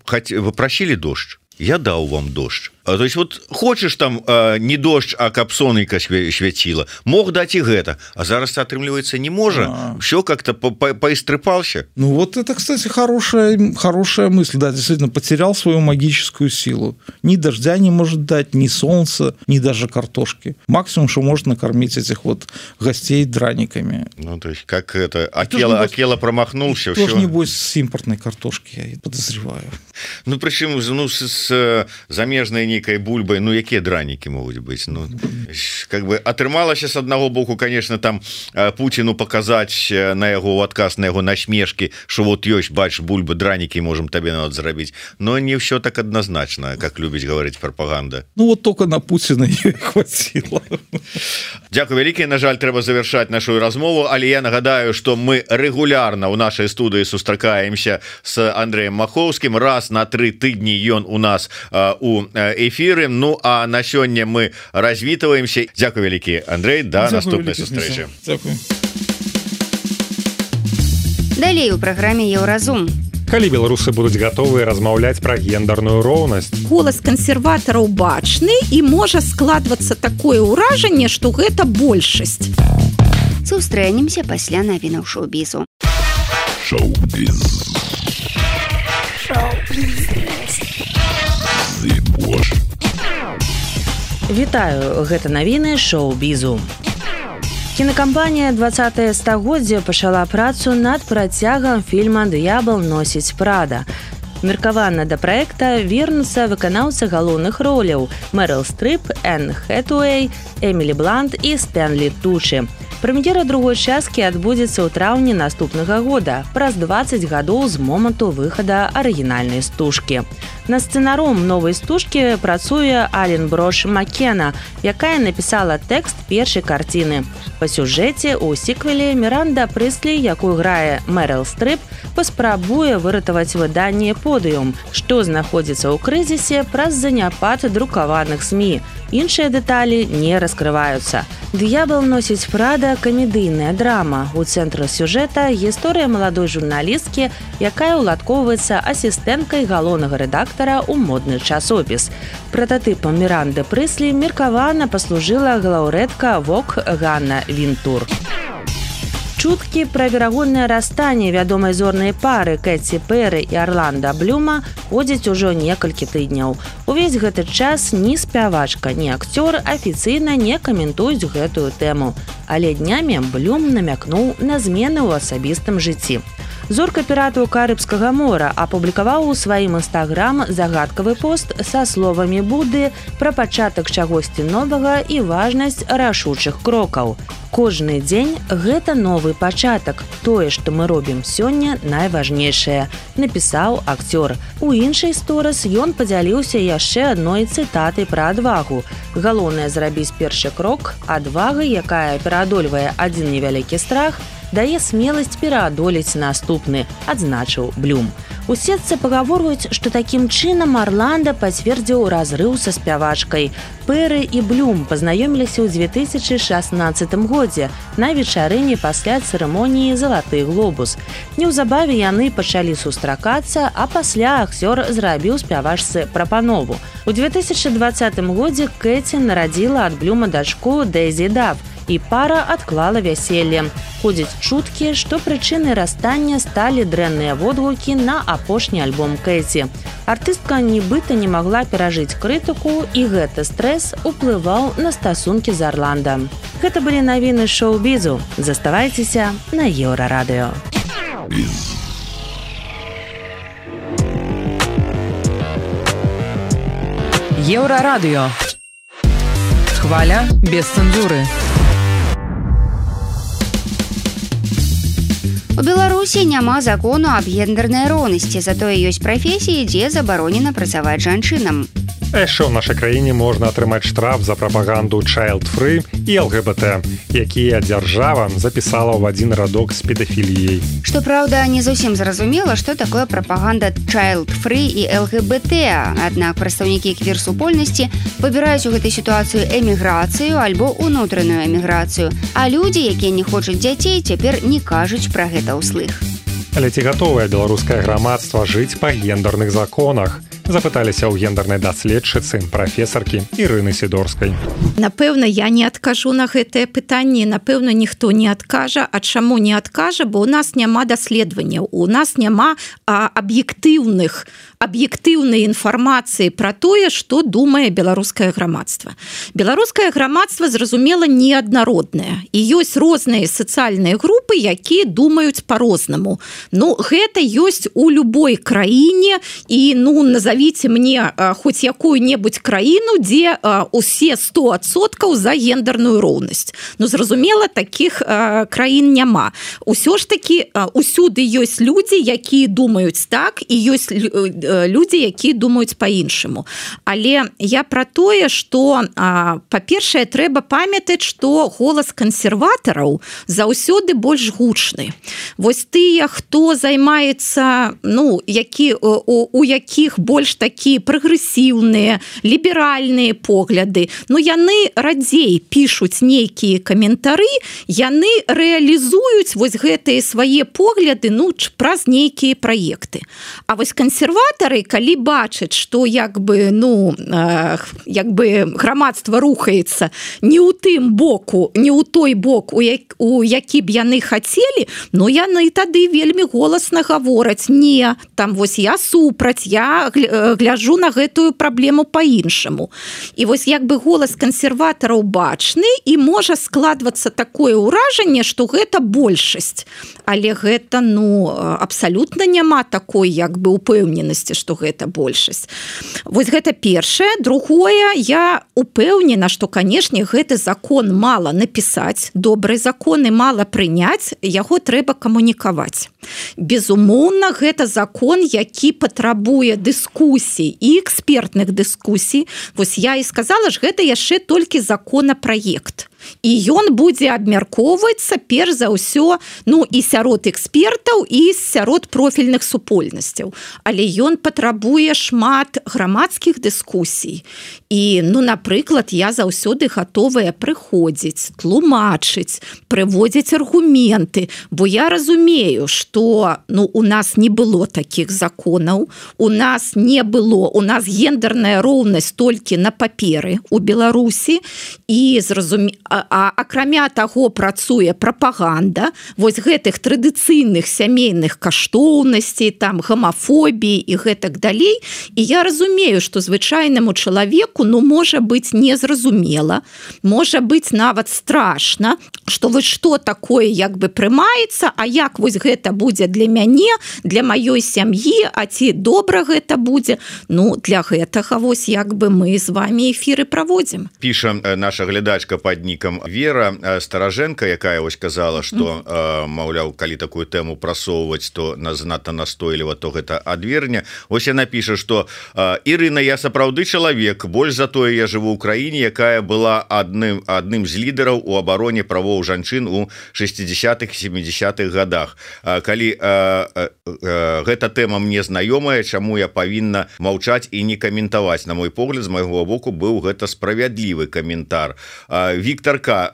Speaker 7: просили дождь, я даў вам дождь. То есть вот хочешь там не дождь, а каб сонейка свяціла, мог дать и гэта, а зараз атрымліваецца не можа, все как-то поистрыпался.
Speaker 5: Ну вот это, кстати, хорошая мысль, да, действительно потерял свою магическую силу. Ни дождя не может дать, ни солнца, ни даже картошки. Максимум, что может накормить этих вот гостей драниками.
Speaker 7: Ну то есть как это, Акела промахнулся.
Speaker 5: Тоже небось с импортной картошки, я подозреваю.
Speaker 7: Ну причем с замежной некой бульбой, ну якія дранікі могуць быць, ну как бы атрымалася с аднаго боку, конечно, там Путину показать на яго адказ на яго насмешки, что вот ёсць, бач, бульбы, дранікі можем табе нават зрабіць, но не все так однозначно, как любіць говорить пропаганда.
Speaker 5: Ну вот только на Путина ее хватило.
Speaker 7: Дякую вялікі, на жаль, трэба завершать нашу размову, але я нагадаю, что мы регулярно у нашей студии сустракаемся с Андреем Маховским, раз на 3 тыдні ён у нас у эфиры. Ну а на сёння мы развітваемся. Дякую вялікі, Андрей, да наступной сустрэчы.
Speaker 3: Далей у праграме Еўразум.
Speaker 2: Калі беларусы будуць гатовыя размаўляць пра гендерную роўнасць?
Speaker 6: Голас кансерватараў бачны, і можа складвацца такое ўражанне, што гэта большасць.
Speaker 3: Сустрэнемся пасля навінаў шоу-бізу.
Speaker 1: Вітаю, гэта навіны шоу-бізу. Кінакампанія «20-е стагоддзе» пачала працу над працягам фільма «Д'ябал носіць Прада». Меркавана да праекта вернуцца выканаўцы галоўных роляў Мэрыл Стрып, Энн Хэтуэй, Эмілі Блант і Стэнлі Тучы. Прэм'ера другой часткі адбудзецца ў траўні наступнага года, праз 20 гадоў з моманту выхада арыгінальнай стужкі. На сцэнаром новай стужкі працуе Ален Брош Маккена, якая напісала тэкст першай карціны. Па сюжэце ў сіквеле Міранда Прыслі, якую грае Мэрыл Стрып, паспрабуе выратаваць выданне «Подыум», што знаходзіцца ў крызісе праз заняпад друкаваных СМІ. Іншыя дэталі не раскрываюцца. «Д'ябал носіць Прада» – камедыйная драма. У цэнтры сюжэта гісторыя маладой журналісткі, якая ўладкоўваецца асістэнткай галоўнага рэдактара ў модны часопіс. Прататыпам Міранды Прыслі меркавана паслужыла галаўрэдка «Вог» Ганна Вінтур. Чуткі пра верагоднае расстанне вядомай зорнай пары Кэці Пэры і Арланда Блюма ходзяць ужо некалькі тыдняў. Увесь гэты час ні спявачка, ні акцёр афіцыйна не каментуюць гэтую тэму. Але днямі Блюм намякнуў на змены ў асабістым жыцці. Зорка піратаў Карыбскага мора апублікаваў у сваім інстаграм загадкавы пост са словамі Будды пра пачатак чагосьці новага і важнасць рашучых крокаў. Кожны дзень гэта новы пачатак. Тое, што мы робім сёння, найважнейшае, напісаў акцёр. У іншай сторыс ён падзяліўся яшчэ адной цытатай пра адвагу. Галоўнае зрабіць першы крок, адвага, якая пераадольвае адзін невялікі страх, дае смеласць пераадолець наступны, адзначыў Блюм. У сетцы пагаворваюць, што такім чынам Арланда пацвердзіў разрыў са спявачкай. Пэры і Блюм пазнаёміліся ў 2016 годзе на вечарыне пасля цырымоніі «Залаты глобус». Неўзабаве яны пачалі сустракацца, а пасля акцёр зрабіў спявачцы прапанову. У 2020 годзе Кэці нарадзіла ад Блюма дачку Дэйзі Дав, і пара адклала вяселле. Ходзяць чуткі, што прычынай расстання сталі дрэнныя водгукі на апошні альбом Кэці. Артыстка нібыта не магла перажыць крытыку, і гэты стрэс уплываў на стасункі з Арландам. Гэта былі навіны шоу-бізу. Заставайцеся на Еўрарадыё.
Speaker 8: Еўрарадыё. Хваля без цэнзуры.
Speaker 3: У Беларусі няма закону аб гендернай роўнасці, затое ёсць прафесіі, дзе забаронена працаваць жанчынам.
Speaker 2: Яшчэ ў нашай краіне можна атрымаць штраф за прапаганду child-free і ЛГБТ, якія дзяржава запісала ў адзін радок з педафіліяй.
Speaker 3: Што праўда, не зусім зразумела, што такое прапаганда child-free і ЛГБТ. Аднак прадстаўнікі квір-супольнасці выбіраюць у гэтай сітуацыі эміграцыю альбо ўнутраную эміграцыю, а людзі, якія не хочуць дзяцей, цяпер не кажуць пра гэта ўслых.
Speaker 2: Але ці гатовае беларускае грамадства жыць па гендерных законах? Запыталіся ў гендернай даследчыцы, прафесаркі Ірыны Сідорскай.
Speaker 6: Напэўна, я не адкажу на гэтае пытанне, напэўна, ніхто не адкажа. А чаму не адкажа? Бо ў нас няма даследаванняў, у нас няма аб'ектыўнай інфармацыі пра тое, што думае беларускае грамадства. Беларускае грамадства, зразумела, неаднароднае. І ёсць розныя сацыяльныя групы, якія думаюць па-рознаму. Гэта ёсць у любой краіне, і, назовите мне хоць якую-небудзь краіну, дзе усе 100% за гендерную роўнасць. Зразумела, такіх краін няма. Усё ж такі усюды ёсць людзі, якія думаюць так, і ёсць людзі, якія думаюць па-іншаму. Але я пра тое, што, па-першае, трэба памятаць, што голас кансерватараў заўсёды больш гучны. Вось тыя, хто займаецца, у якіх больш такія прагрэсіўныя, ліберальныя погляды, яны радзей пішуць нейкія каментары, яны рэалізуюць вось гэтыя свае погляды праз нейкія праекты. А вось кансерватары, калі бачаць, што грамадства рухаецца не ў тым боку, не ў той бок, у які б яны хацелі, яны тады вельмі голасна гавораць: не, там вось я супраць, я гляжу на гэтую праблему па-іншаму. І вось голас кансерватараў бачны, і можа складвацца такое ўражанне, што гэта большасць. Але гэта, абсалютна няма такой упэўненасці, што гэта большасць. Вось гэта першае. Другое, я упэўнена, што, канешне, гэты закон мала напісаць, добрыя законы мала прыняць, яго трэба камунікаваць. Безумоўна, гэта закон, які патрабуе дыскусій і экспертных дыскусій. Вось я і сказала, ж гэта яшчэ толькі законапраект. і ён будзе абмяркоўвацца перш за ўсё і сярод экспертаў і сярод профільных супольнасцяў, але ён патрабуе шмат грамадскіх дыскусій і напрыклад я заўсёды гатовая прыходзіць, тлумачыць, прыводзіць аргументы, бо я разумею, што у нас не было такіх законаў, у нас гендерная роўнасць толькі на паперы у Беларусі і акрамя таго працуе прапаганда вось гэтых традыцыйных сямейных каштоўнасцей, там гамафобіі і гэтак далей. І я разумею, што звычайнаму чалавеку можа быць незразумела, можа быць нават страшна, што вось што такое прымаецца, а як вось гэта будзе для мяне, для маёй сям'і, а ці добра гэта будзе. Для гэтага вось мы з вами эфіры праводзім.
Speaker 7: Піша наша глядачка пад нікам Вера Стараженко, якая вось казала, што маўляў, калі такую тэму прасоўваць, то занадта настойліва, то гэта адверне. Вось яна піша, што Ірына, я сапраўды чалавек, больш за тое я жыву ў краіне, якая была адным з лідараў у абароне правоў жанчын у 60-х, 70-х годах. Калі гэта тэма мне знаёмая, чаму я павінна маўчаць і не каментаваць? На мой погляд, з майго боку быў гэта справядлівы каментар. Віктор К.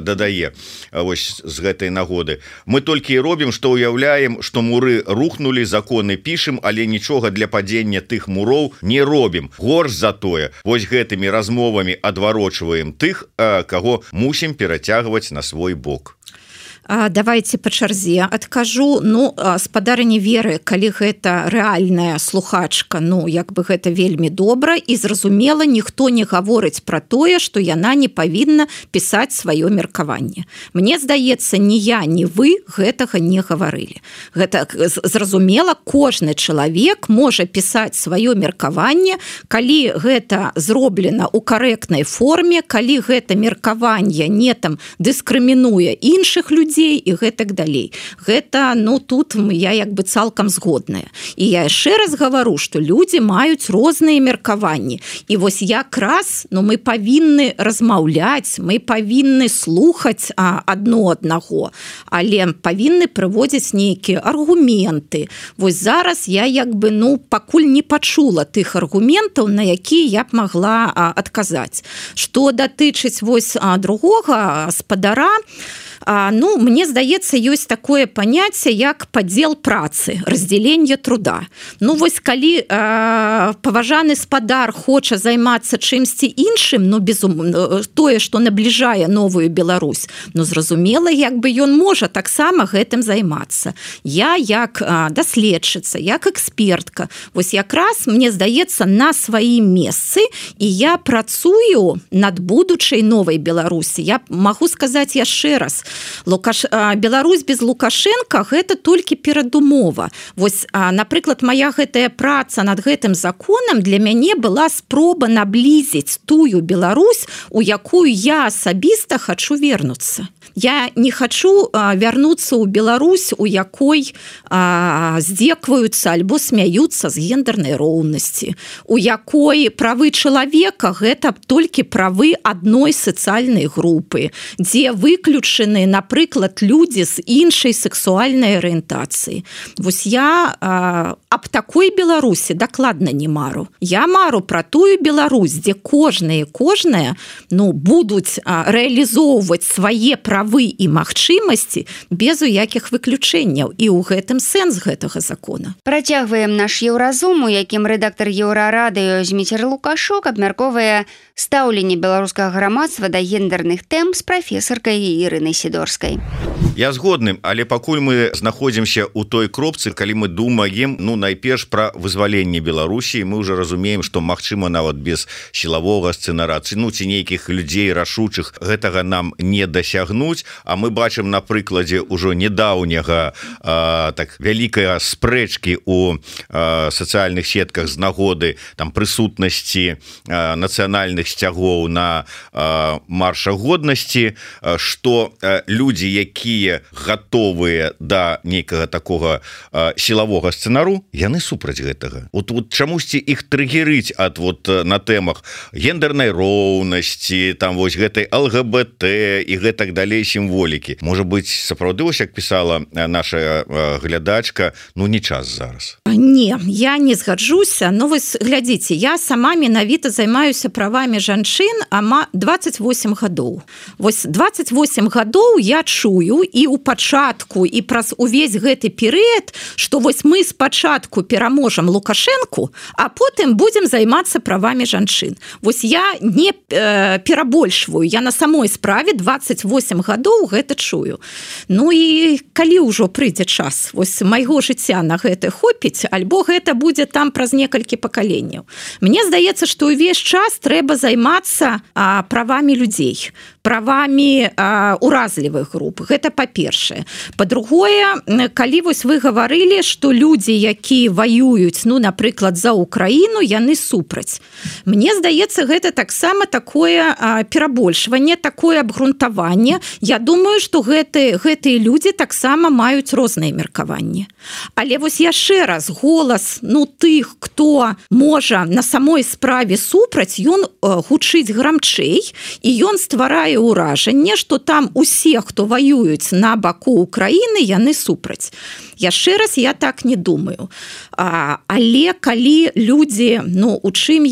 Speaker 7: дадае вось з гэтай нагоды: мы толькі і робім, што ўяўляем, што муры рухнулі, законы пішем, але нічога для падзення тых муроў не робім. Горш за тое, вось гэтымі размовамі адварочваем тых, каго мусім перацягваць на свой бок.
Speaker 6: Давайте па чарзе адкажу. Спадарыні Веры, калі гэта рэальная слухачка, гэта вельмі добра і зразумела, ніхто не гаворыць пра тое, што яна не павінна пісаць сваё меркаванне. Мне здаецца, ні я, ні вы гэтага не гаварылі. Гэта зразумела, кожны чалавек можа пісаць сваё меркаванне, калі гэта зроблена ў карэктнай форме, калі гэта меркаванне не дыскрымінуе іншых людзей і гэтак далей. Гэта, тут я цалкам згодная. І я яшчэ раз гавару, што людзі маюць розныя меркаванні. І вось якраз мы павінны размаўляць, мы павінны слухаць адно аднаго, але павінны прыводзіць нейкія аргументы. Вось зараз я пакуль не пачула тых аргументаў, на якія я б магла адказаць. Што датычыць вось другога спадара, мне здаецца, ёсць такое паняцце, як падзел працы, раздзяленне труда. Вось калі паважаны спадар хоча займацца чымсьці іншым, тое, што набліжае новую Беларусь, зразумела, ён можа таксама гэтым займацца. Я як даследчыца, як экспертка, вось якраз, мне здаецца, на сваім месцы, і я працую над будучай новай Беларусі. Я магу сказаць яшчэ раз, Беларусь без Лукашенко гэта толькі перадумова. Вось, напрыклад, моя гэтая праца над гэтым законам для мяне была спроба наблізіць тую Беларусь, у якую я асабіста хачу вернуцца. Я не хачу вярнуцца ў Беларусь, у якой здзекваюцца альбо смяюцца з гендернай роўнасці, у якой правы чалавека гэта толькі правы адной сацыяльнай групы, дзе выключаны, напрыклад, людзі з іншай сексуальнай арыентацыі. Вось я аб такой Беларусі дакладна не мару. Я мару пра тую Беларусь, дзе кожная будуць рэалізоўваць свае правы і магчымасці без уякіх выключэнняў. І ў гэтым сэнс гэтага закона.
Speaker 3: Працягваем наш Еўразум, у якім рэдактар Еўрарадыё Зміцер Лукашук абмяркоўвае стаўленне беларускага грамадства да гендерных тэм з прафесаркай Ірынай Сідорскай.
Speaker 7: Я згодны, але пакуль мы знаходзімся ў той кропцы, калі мы думаем, найперш пра вызваленне Беларусі, мы ўжо разумеем, што магчыма нават без сілавога сцэнарацыі, ці нейкіх людзей рашучых гэтага нам не дасягнуць, а мы бачым на прыкладзе ўжо нядаўняга вялікая спрэчкі ў сацыяльных сетках з нагоды прысутнасці нацыянальных сцягоў на маршах годнасці, што людзі, якія гатовыя да нейкага такога сілавога сцэнару, яны супраць гэтага. Вот чамусьці іх трыгерыць ад на тэмах гендернай роўнасці, там вось гэтай ЛГБТ і гэтак далей сімволікі. Можа быць, сапраўды, вось як пісала наша глядачка, не час зараз.
Speaker 6: Не, я не згаджуся. Вось глядзіце, я сама менавіта займаюся правамі жанчын 28 гадоў. Вось 28 гадоў я чую і ў пачатку, і праз увесь гэты перыяд, што вось мы спачатку пераможам Лукашэнку, а потым будзем займацца правамі жанчын. Вось я не перабольшваю, я на самой справе 28 гадоў гэта чую. І калі ўжо прыйдзе час вось майго жыцця на гэта хопіць, альбо гэта будзе там праз некалькі пакаленняў. Мне здаецца, што ўвесь час трэба займацца правамі людзей, правамі уразлівых груп. Гэта па-першае. Па-другое, калі вось вы гаварылі, што людзі, якія ваююць, напрыклад, за Украіну, яны супраць. Мне здаецца, гэта таксама такое перабольшванне, такое абгрунтаванне. Я думаю, што гэтыя людзі таксама маюць розныя меркаванні. Але вось яшчэ раз, голас тых, хто можа на самой справе супраць, ён гучыць грамчэй, і ён стварае ўражанне, што там усе, хто ваююць на баку Украіны, яны супраць. Яшчэ раз, я так не думаю. Але калі людзі, у чым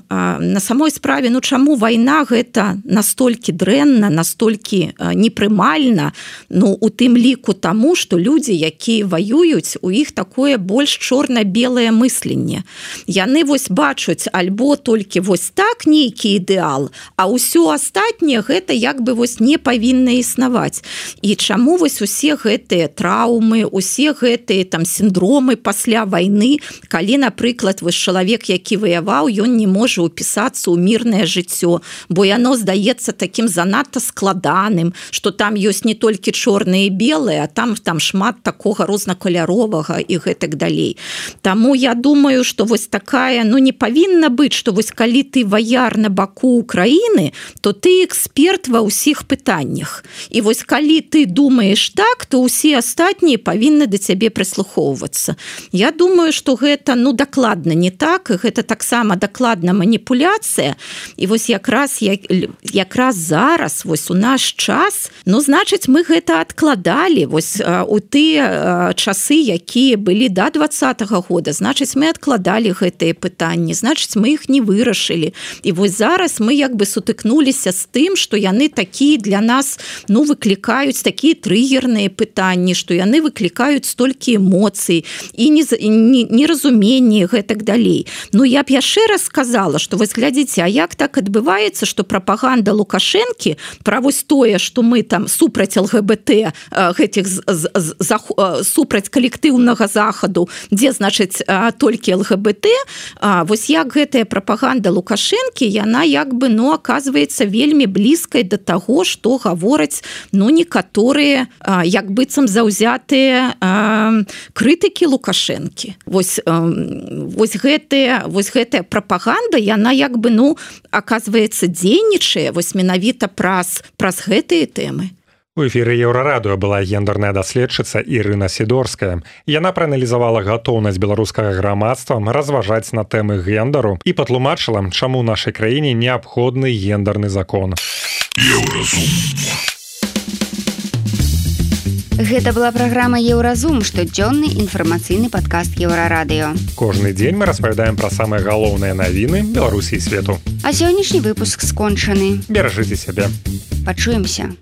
Speaker 6: на самой справе, чаму вайна гэта настолькі дрэнна, настолькі непрымальна, у тым ліку таму, што людзі, якія ваююць, у іх такое больш чорна-белае мысленне. Яны вось бачуць альбо толькі вось так нейкі ідэал, а ўсё астатняе гэта вось не павінна існаваць. І чаму вось усе гэтыя траўмы, усе гэтыя там сіндромы пасля вайны, калі, напрыклад, вось чалавек, які ваяваў, ён не можа ўпісацца ў мірнае жыццё, бо яно здаецца такім занадта складаным, што там ёсць не толькі чорныя і белыя, а там шмат такога рознакаляровага і гэтак далей. Таму я думаю, што вось такая, не павінна быць, што вось калі ты ваяр на баку Украіны, то ты эксперт ва ўсіх пытаннях. І вось калі ты думаеш так, то ўсе астатнія павінны да цябе прыслухоўвацца. Я думаю, што гэта, дакладна не так, і гэта таксама дакладна маніпуляцыя. І вось якраз зараз, вось у наш час, значыць, мы гэта адкладалі. Вось у тыя часы, якія былі да 20-го года, значыць, мы адкладалі гэтыя пытанні, значыць, мы іх не вырашылі. І вось зараз мы сутыкнуліся з тым, што яны такія для нас, выклікаюць такія трыгерныя пытанні, што яны выклікаюць столькі эмоцый і неразуменне гэтак далей. Я б яшчэ раз сказала, што вось глядзіце, а як так адбываецца, што прапаганда Лукашэнкі пра вось тое, што мы там супраць ЛГБТ, супраць калектыўнага захаду, дзе, значыць, толькі ЛГБТ, вось як гэтая прапаганда Лукашэнкі, яна аказваецца вельмі блізкай да таго, што гавораць, некаторыя як быццам заўзятыя крытыкі Лукашэнкі. Вось гэтая прапаганда, яна аказваецца дзейнічае вось менавіта праз гэтыя тэмы.
Speaker 2: У эфіры Еўрарадыё была гендерная даследчыца Ірына Сідорская. Яна прааналізавала гатоўнасць беларускага грамадства разважаць на тэмы гендеру і патлумачыла, чаму ў нашай краіне неабходны гендерны закон.
Speaker 3: Гэта была праграма Еўразум, штодзённы інфармацыйны падкаст Еўрарадыё.
Speaker 2: Кожны дзень мы распавядаем пра самыя галоўныя навіны Беларусі і свету.
Speaker 3: А сённяшні выпуск скончаны.
Speaker 2: Беражыце сябе.
Speaker 3: Пачуемся.